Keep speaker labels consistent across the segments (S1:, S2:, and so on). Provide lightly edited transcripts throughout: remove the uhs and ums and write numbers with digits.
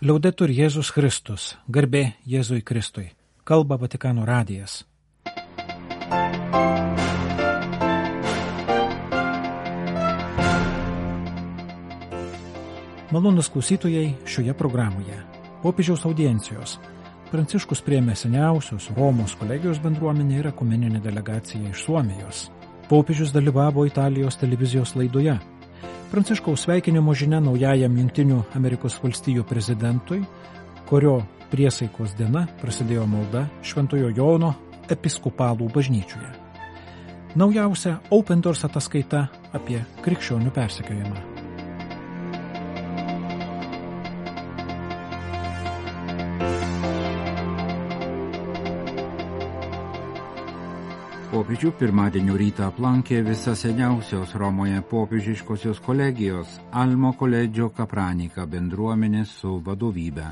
S1: Liaudetur Jėzus Kristus, garbė Jėzui Kristui, kalba Vatikano radijas. Malonūs klausytojai šioje programoje. Popiežiaus audiencijos. Pranciškus priėmė seniausios Romos kolegijos bendruomenę ir ekumeninę delegaciją iš Suomijos. Popiežius dalyvavo Italijos televizijos laidoje. Pranciškaus sveikinimo žinia naujajam Jungtinių Amerikos valstijų prezidentui, kurio priesaikos diena prasidėjo malda Šventojo Jono episkopalų bažnyčioje. Naujausia Open Doors ataskaita apie krikščionių persekiojimą.
S2: Popiežių pirmadienio rytą aplankė visa seniausios Romoje popiežiškosios kolegijos Almo Collegio Capranica bendruomenė su vadovybe.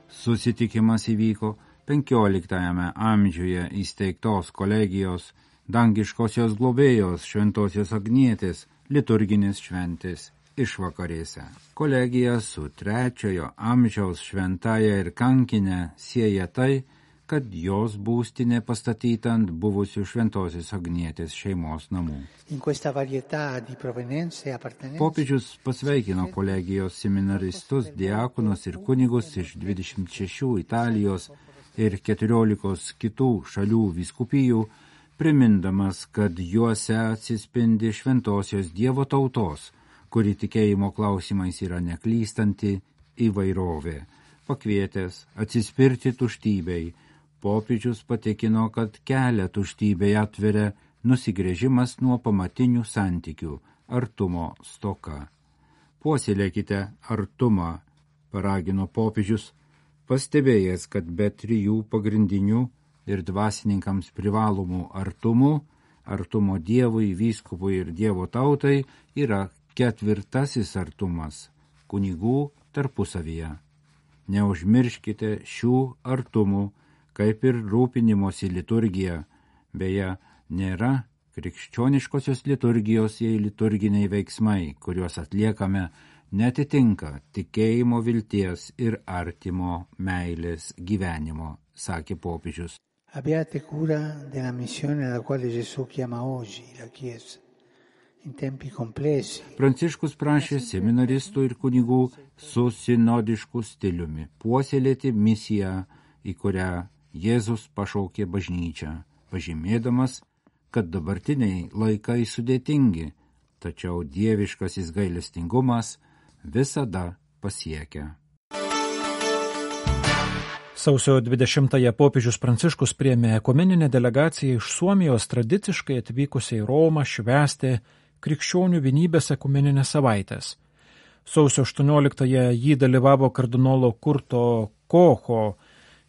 S2: Susitikimas įvyko 15 amžiuje įsteigtos kolegijos dangiškosios globėjos Šventosios Agnietės liturginės šventės išvakarėse. Kolegija su 3 amžiaus šventaja ir kankinė sieja tai, kad jos būstinė pastatyta ant buvusių Šventosios Agnietės šeimos namų. Popiežius pasveikino kolegijos seminaristus, diakonus ir kunigus iš 26 Italijos ir 14 kitų šalių vyskupijų, primindamas, kad juose atsispindi šventosios Dievo tautos, kuri tikėjimo klausimais yra neklystanti įvairovė. Pakvietęs atsispirti tuštybei, popiežius patikino, kad kelią tuštybei atveria nusigręžimas nuo pamatinių santykių, artumo stoka. Puoselėkite artumą, paragino popiežius, pastebėjęs, kad be 3 pagrindinių ir dvasininkams privalomų artumo Dievui, vyskupui ir Dievo tautai, yra 4 artumas – kunigų tarpusavyje. Neužmirškite šių artumų, kaip ir rūpinimosi liturgija. Beje, nėra krikščioniškosios liturgijos, jei liturginiai veiksmai, kuriuos atliekame, netitinka tikėjimo, vilties ir artimo meilės gyvenimo, sakė popiežius.
S3: Abbiate cura della missione alla quale Gesù chiama oggi la Chiesa. In tempi complessi.
S2: Pranciškus prašė seminaristų ir kunigų su sinodišku stiliumi puoselėti misiją, į kurią Jėzus pašaukė bažnyčią, pažymėdamas, kad dabartiniai laikai sudėtingi, tačiau dieviškasis gailestingumas visada pasiekia.
S1: Sausio 20-ąją popiežius Pranciškus priėmė ekumeninę delegaciją iš Suomijos tradiciškai atvykusią į Romą švęsti krikščionių vienybės ekumeninės savaitės. Sausio 18-ąją jį dalyvavo kardinolo Kurto Kocho,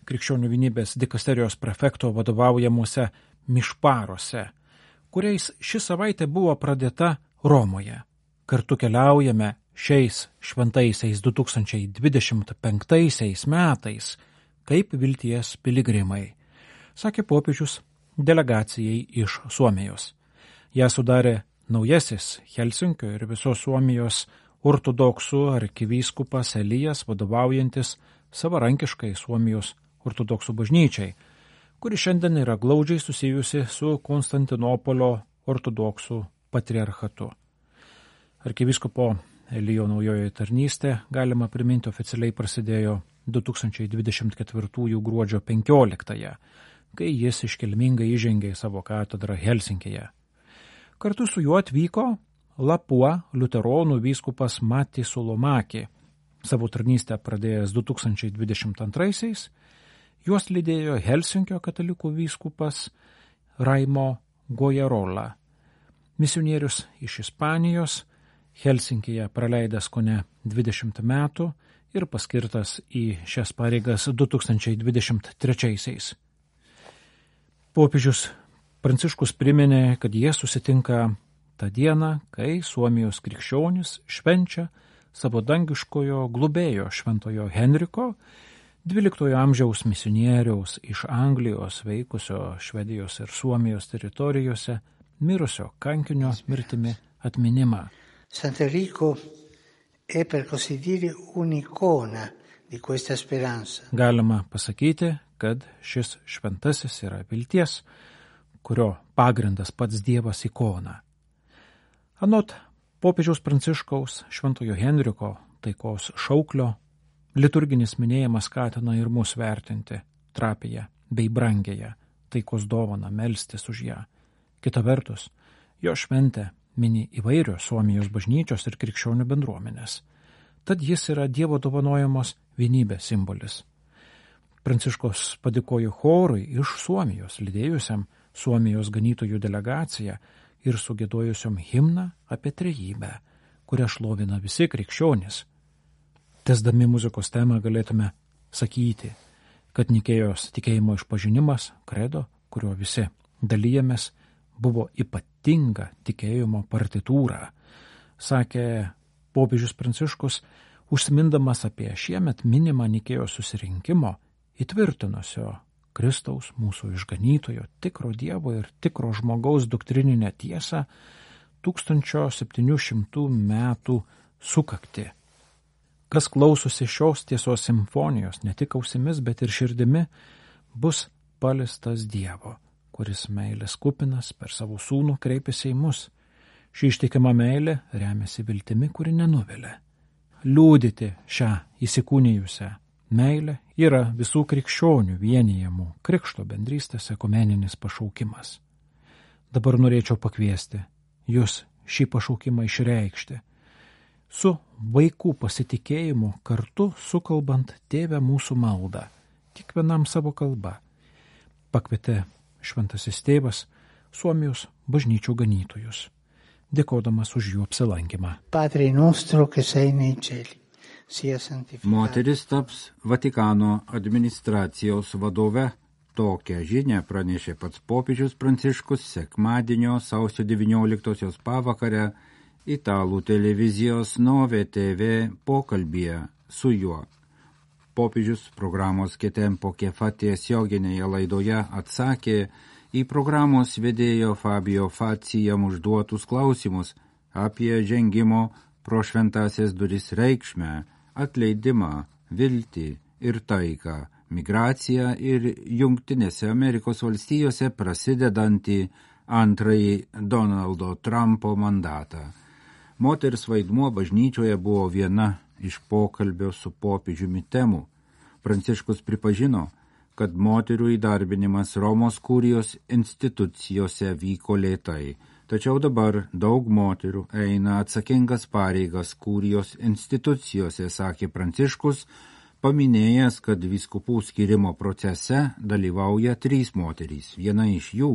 S1: krikščionių vienybės dikasterijos prefekto vadovaujamuose mišparuose, kuriais ši savaitė buvo pradėta Romoje. Kartu keliaujame šiais šventaisiais 2025 metais kaip vilties piligrimai, sakė popiežius delegacijai iš Suomijos. Ją sudarė naujasis Helsinkio ir visos Suomijos ortodoksų arkivyskupas Elijas, vadovaujantis savarankiškai Suomijos ortodoksų bažnyčiai, kuri šiandien yra glaudžiai susijusi su Konstantinopolio ortodoksų patriarchatu. Arkivyskupo Elijo naujojoje tarnystė, galima priminti, oficialiai prasidėjo 2024 gruodžio 15-ąją, kai jis iškilmingai įžengė į savo katedrą Helsinkėje. Kartu su juo atvyko Lapua liuteronų vyskupas Matti Sulomaki, savo tarnystę pradėjęs 2022-aisiais, juos lydėjo Helsinkio katalikų vyskupas Raimo Gojarola, misionierius iš Ispanijos, Helsinkėje praleidęs kone 20 metų ir paskirtas į šias pareigas 2023-aisiais. Popiežius Pranciškus priminė, kad jie susitinka tą dieną, kai Suomijos krikščionys švenčia savo dangiškojo globėjo Šventojo Henriko, 12 amžiaus misionieriaus iš Anglijos veikusio Švedijos ir Suomijos teritorijose mirusio kankinio mirtimi atminimą.
S3: Sant'Enrico è per così dire un'icona di questa speranza.
S1: Galima pasakyti, kad šis šventasis yra vilties, kurio pagrindas pats Dievas ikona. Anot popiežiaus Pranciškaus Šventojo Henriko taikos šauklio, liturginis minėjimas skatina ir mus vertinti trapiją bei brangėją taikos dovaną, melstis už ją. Kita vertus, jo šventę mini įvairios Suomijos bažnyčios ir krikščionių bendruomenės. Tad jis yra Dievo dovanojamos vienybės simbolis. Pranciškos padėkojo chorui iš Suomijos, lydėjusiam Suomijos ganytojų delegaciją ir sugiedojusiom himną apie trejybę, kurią šlovina visi krikščionys. Tesdami muzikos temą galėtume sakyti, kad Nikėjos tikėjimo išpažinimas, kredo, kurio visi dalyjamės, buvo ypatinga tikėjimo partitūra, sakė popiežius Pranciškus, užsimindamas apie šiemet minimą Nikėjos susirinkimo įtvirtinusio Kristaus, mūsų išganytojo, tikro Dievo ir tikro žmogaus doktrininę tiesą 1700 metų sukakti. Kas klausosi šios tiesos simfonijos, ne tik ausimis, bet ir širdimi, bus paliestas Dievo, kuris meilės kupinas per savo sūnų kreipiasi į mus. Ši ištikima meilė remiasi viltimi, kuri nenuvilia. Liūdyti šią įsikūnijusią meilę yra visų krikščionių vienijamų krikšto bendrystės ekumeninis pašaukimas. Dabar norėčiau pakviesti jūs šį pašaukimą išreikšti, su vaikų pasitikėjimu kartu sukalbant Tėve mūsų maldą, kiekvienam savo kalba, pakvietė šventasis tėvas Suomijos bažnyčių ganytojus, dėkodamas už jų apsilankymą.
S3: Padre nostro, che sei nei cieli, sia santificato.
S2: Moteris taps Vatikano administracijos vadove. Tokią žinią pranešė pats popiežius Pranciškus sekmadienio sausio 19 pavakarę italų televizijos Nove TV pokalbyje su juo. Popiežius programos Che tempo che fa tiesioginėje laidoje atsakė į programos vedėjo Fabio Fazzi jam užduotus klausimus apie žengimo pro šventąsias duris reikšmę, atleidimą, viltį ir taiką, migraciją ir Jungtinėse Amerikos valstijose prasidedantį antrąjį Donaldo Trumpo mandatą. Moters vaidmuo bažnyčioje buvo viena iš pokalbio su popiežiumi temų. Pranciškus pripažino, kad moterų įdarbinimas Romos kurijos institucijose vyko lėtai, tačiau dabar daug moterų eina atsakingas pareigas kurijos institucijose, sakė Pranciškus, paminėjęs, kad vyskupų skirimo procese dalyvauja 3 moterys. Viena iš jų,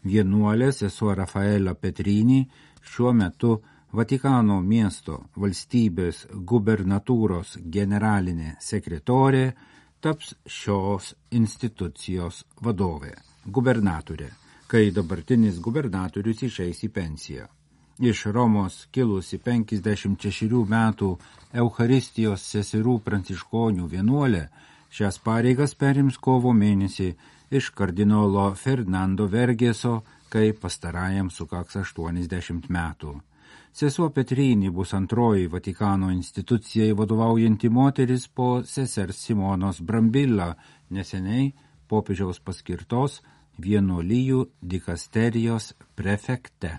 S2: vienuolė sesuo Rafaela Petrini, šiuo metu Vatikano miesto valstybės gubernatūros generalinė sekretorė, taps šios institucijos vadovė, gubernatorė, kai dabartinis gubernatorius išeis į pensiją. Iš Romos kilusi 56 metų Eucharistijos seserų pranciškonių vienuolė šias pareigas perims kovo mėnesį iš kardinolo Fernando Vergeso, kai pastarajam sukaks 80 metų. Sesuo Petrini bus antroji Vatikano institucijai vadovaujanti moteris po sesers Simonos Brambilla, neseniai popiežiaus paskirtos vienuolijų dikasterijos prefekte.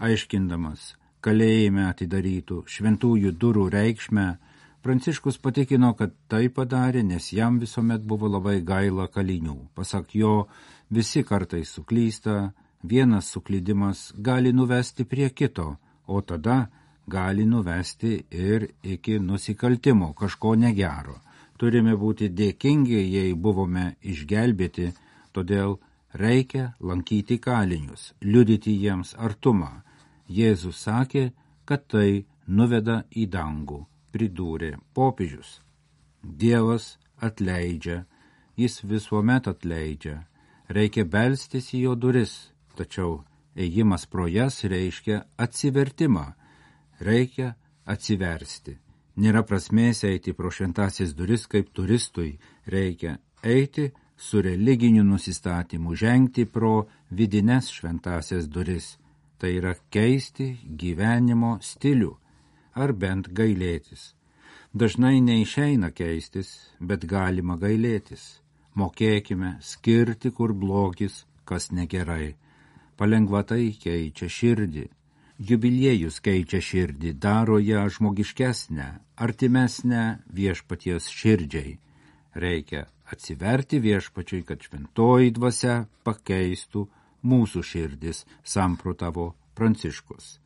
S2: Aiškindamas kalėjime atidarytų šventųjų durų reikšmę, Pranciškus patikino, kad tai padarė, nes jam visuomet buvo labai gaila kalinių. Pasak jo, visi kartais suklysta, vienas suklydimas gali nuvesti prie kito, o tada gali nuvesti ir iki nusikaltimo, kažko negero. Turime būti dėkingi, jei buvome išgelbėti, todėl reikia lankyti kalinius, liudyti jiems artumą. Jėzus sakė, kad tai nuveda į dangų, pridūrė popiežius. Dievas atleidžia, jis visuomet atleidžia, reikia belstis į jo duris, tačiau ėjimas pro jas reiškia atsivertimą, reikia atsiversti. Nėra prasmės eiti pro šventąsias duris kaip turistui, reikia eiti su religiniu nusistatymu, žengti pro vidines šventąsias duris. Tai yra keisti gyvenimo stilių, ar bent gailėtis. Dažnai neišeina keistis, bet galima gailėtis. Mokėkime skirti, kur blogis, kas negerai. Palengva tai keičia širdį. Jubiliejus keičia širdį, daro ją žmogiškesnę, artimesnę viešpaties širdžiai. Reikia atsiverti viešpačiui, kad šventoji dvasia pakeistų mūsų širdis, samprotavo Pranciškus.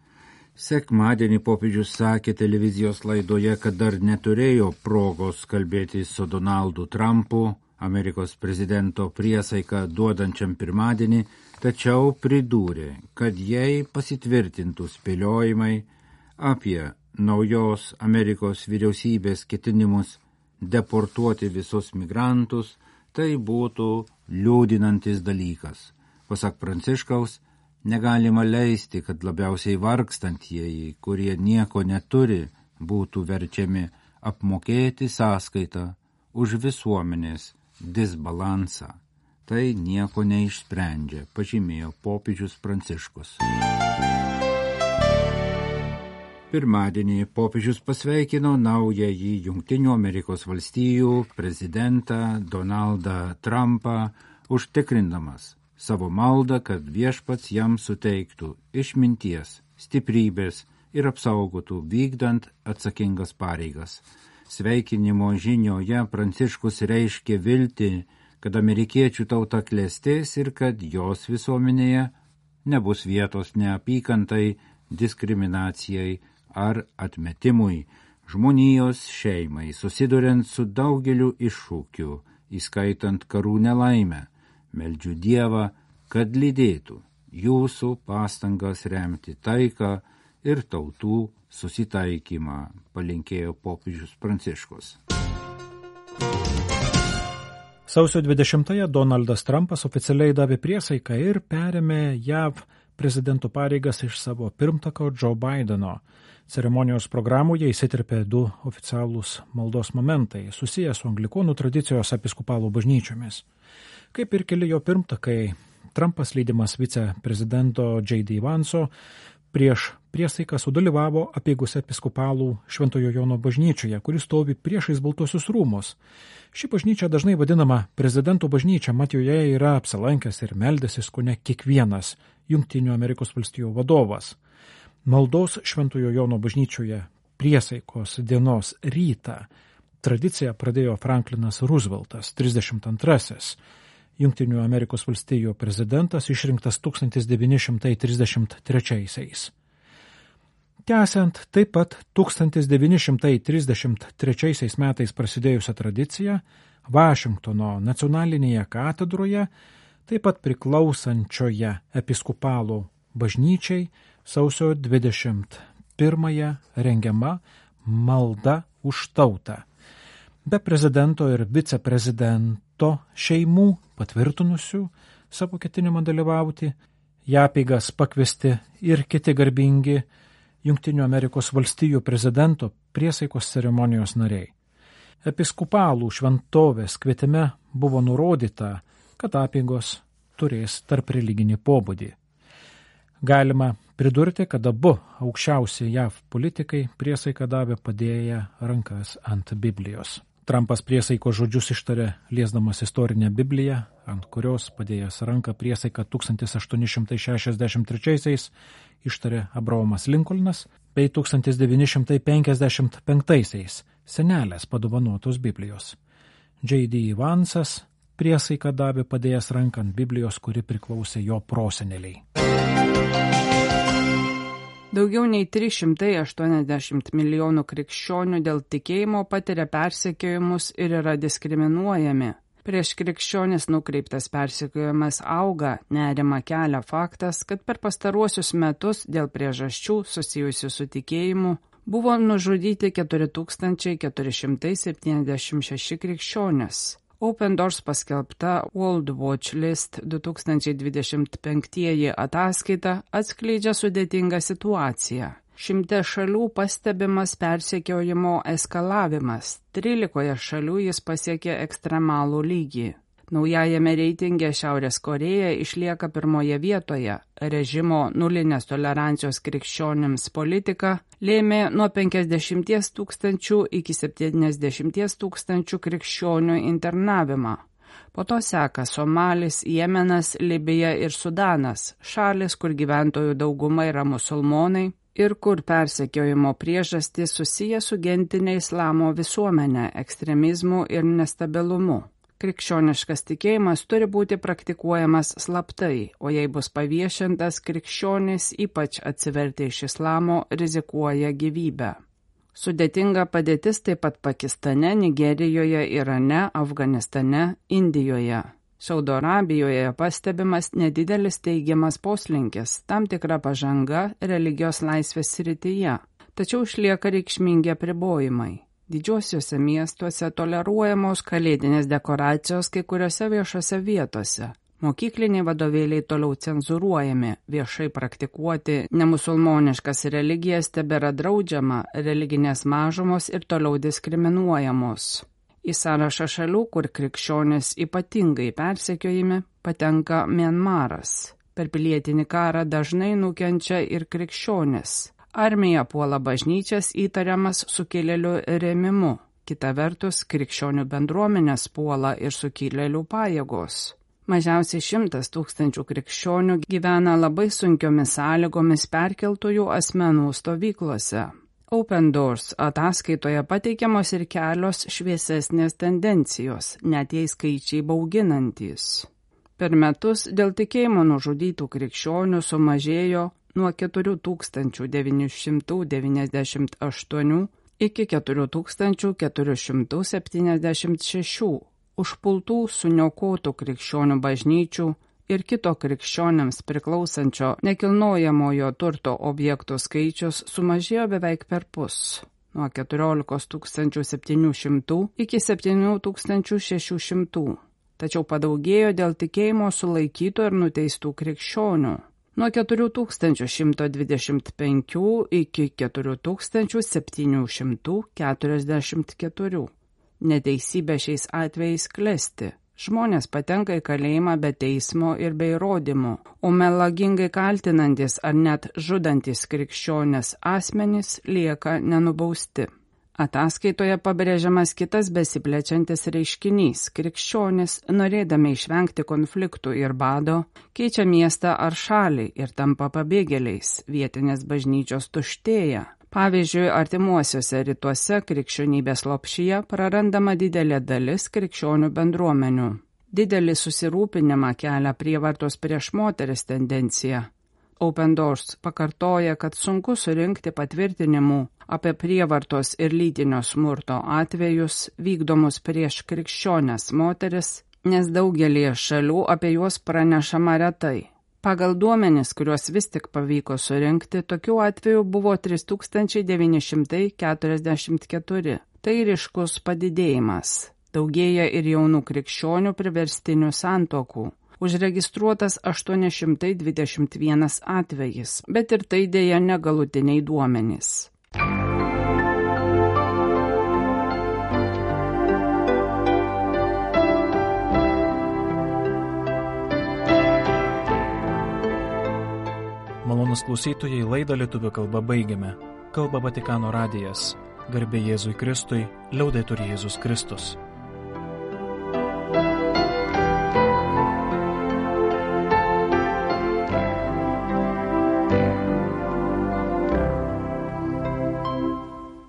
S2: Sekmadienį popiežius sakė televizijos laidoje, kad dar neturėjo progos kalbėti su Donaldu Trumpu, Amerikos prezidento priesaiką duodančiam pirmadienį, tačiau pridūrė, kad jei pasitvirtintų spėliojimai apie naujos Amerikos vyriausybės ketinimus deportuoti visus migrantus, tai būtų liūdinantis dalykas. Pasak Pranciškaus, negalima leisti, kad labiausiai vargstantieji, kurie nieko neturi, būtų verčiami apmokėti sąskaitą už visuomenės disbalansą. Tai nieko neišsprendžia, pažymėjo popiežius Pranciškus. Pirmadienį popiežius pasveikino naująjį Jungtinių Amerikos valstijų prezidentą Donaldą Trumpą, užtikrindamas savo maldą, kad viešpats jam suteiktų išminties, stiprybės ir apsaugotų vykdant atsakingas pareigas. Sveikinimo žinioje Pranciškus reiškė viltį, kad amerikiečių tauta klestės ir kad jos visuomenėje nebus vietos neapykantai, diskriminacijai ar atmetimui, žmonijos šeimai, susiduriant su daugeliu iššūkių, įskaitant karų nelaimę. Meldžiu Dievą, kad lydėtų jūsų pastangas remti taiką ir tautų susitaikymą, palinkėjo popiežius Pranciškus.
S1: Sausio 20-ąją Donaldas Trumpas oficialiai davė priesaiką ir perėmė JAV prezidento pareigas iš savo pirmtako Joe Bideno. Ceremonijos programoje įsiterpė du oficialūs maldos momentai, susiję su anglikonų tradicijos episkopalų bažnyčiomis. Kaip ir keli jo pirmtakai, Trumpas lydimas viceprezidento J.D. Vanso prieš priesaiką sudalyvavo apeigose episkopalų Šventojo Jono bažnyčioje, kuris stovi priešais Baltuosius rūmus. Ši bažnyčia dažnai vadinama prezidento bažnyčia, mat joje yra apsilankęs ir meldęsis kone kiekvienas Jungtinių Amerikos valstijų vadovas. Maldos Šventojo Jono bažnyčioje priesaikos dienos rytą tradiciją pradėjo Franklinas Rooseveltas, 32-asis Jungtinių Amerikos valstijų prezidentas, išrinktas 1933-aisiais. Tęsiant taip pat 1933 metais prasidėjusią tradiciją, Vašingtono nacionalinėje katedroje, taip pat priklausančioje episkopalų bažnyčiai, sausio 21-ąją rengiama malda už tautą. Be prezidento ir viceprezidento šeimų patvirtinusių savo ketinimą dalyvauti, į apeigas pakviesti ir kiti garbingi Jungtinių Amerikos valstijų prezidento priesaikos ceremonijos nariai. Episkopalų šventovės kvietime buvo nurodyta, kad apeigos turės tarp religinį pobūdį. Galima pridurti, kad abu aukščiausi JAV politikai priesaiką davė padėję rankas ant Biblijos. Trumpas priesaiko žodžius ištarė liesdamas istorinę Bibliją, ant kurios padėjęs ranką priesaiką 1863-aisiais ištarė Abraomas Lincolnas, bei 1955-aisiais senelės padovanotos Biblijos. J.D. Vansas priesaiką davė padėjęs ranką ant Biblijos, kuri priklausė jo proseneliai.
S4: Daugiau nei 380 milijonų krikščionių dėl tikėjimo patiria persekiojimus ir yra diskriminuojami. Prieš krikščionis nukreiptas persekiojimas auga, nerimą kelia faktas, kad per pastaruosius metus dėl priežasčių susijusių su tikėjimu buvo nužudyti 4476 krikščionys. Open Doors paskelbta World Watch List 2025 ataskaita atskleidžia sudėtingą situaciją. 100 šalių pastebimas persekiojimo eskalavimas, 13 šalių jis pasiekė ekstremalų lygį. Naujajame reitinge Šiaurės Korėja išlieka pirmoje vietoje. Režimo nulinės tolerancijos krikščionims politika lėmė nuo 50 000 iki 70 000 krikščionių internavimą. Po to seka Somalis, Jemenas, Libija ir Sudanas, šalis, kur gyventojų dauguma yra musulmonai ir kur persekiojimo priežastys susiję su gentinė islamo visuomenė, ekstremizmu ir nestabilumu. Krikščioniškas tikėjimas turi būti praktikuojamas slaptai, o jei bus paviešintas, krikščionys, ypač atsivertę iš islamo, rizikuoja gyvybę. Sudėtinga padėtis taip pat Pakistane, Nigerijoje, Irane, Afganistane, Indijoje. Saudo Arabijoje pastebimas nedidelis teigiamas poslinkis, tam tikra pažanga religijos laisvės srityje, tačiau išlieka reikšmingi apribojimai. Didžiuosiuose miestuose toleruojamos kalėdinės dekoracijos kai kuriuose viešose vietose. Mokykliniai vadovėliai toliau cenzūruojami, viešai praktikuoti nemusulmoniškas religijas tebėra draudžiama, religinės mažumos ir toliau diskriminuojamos. Į sąrašą šalių, kur krikščionys ypatingai persekiojami, patenka Mianmaras. Per pilietinį karą dažnai nukenčia ir krikščionys. Armija puola bažnyčias įtariamas sukilėlių rėmimu. Kita vertus, krikščionių bendruomenės puola ir sukilėlių pajėgos. Mažiausiai 100 000 krikščionių gyvena labai sunkiomis sąlygomis perkeltųjų asmenų stovyklose. Open Doors ataskaitoje pateikiamos ir kelios šviesesnės tendencijos, net jei skaičiai bauginantys. Per metus dėl tikėjimo nužudytų krikščionių sumažėjo nuo 4998 iki 4476 užpultų suniokotų krikščionių bažnyčių ir kito krikščionėms priklausančio nekilnojamojo turto objektų skaičius sumažėjo beveik perpus, nuo 14 700 iki 7600, tačiau padaugėjo dėl tikėjimo sulaikytų ir nuteistų krikščionių, nuo 4125 iki 4744. Neteisybė šiais atvejais klesti. Žmonės patenka į kalėjimą be teismo ir be įrodymų, o melagingai kaltinantis ar net žudantis krikščionės asmenys lieka nenubausti. Ataskaitoje pabrėžiamas kitas besiplečiantis reiškinys. Krikščionys, norėdami išvengti konfliktų ir bado, keičia miestą ar šalį ir tampa pabėgėliais. Vietinės bažnyčios tuštėja. Pavyzdžiui, artimuosiuose rytuose krikščionybės lopšyje prarandama didelė dalis krikščionių bendruomenių. Didelį susirūpinimą kelia prievartos prieš moteris tendencija. Open Doors pakartoja, kad sunku surinkti patvirtinimų apie prievartos ir lytinio smurto atvejus vykdomus prieš krikščionės moteris, nes daugelį šalių apie juos pranešama retai. Pagal duomenis, kuriuos vis tik pavyko surinkti, tokių atvejų buvo 3944. Tai ryškus padidėjimas. Daugėja ir jaunų krikščionių priverstinių santuokų. Užregistruotas 821 atvejis, bet ir tai dėja negalutiniai duomenys.
S1: Malonūs klausytojai, laidą lietuvių kalba baigiame. Kalba Vatikano radijas. Garbė Jėzui Kristui, liaudetur Jėzus Kristus.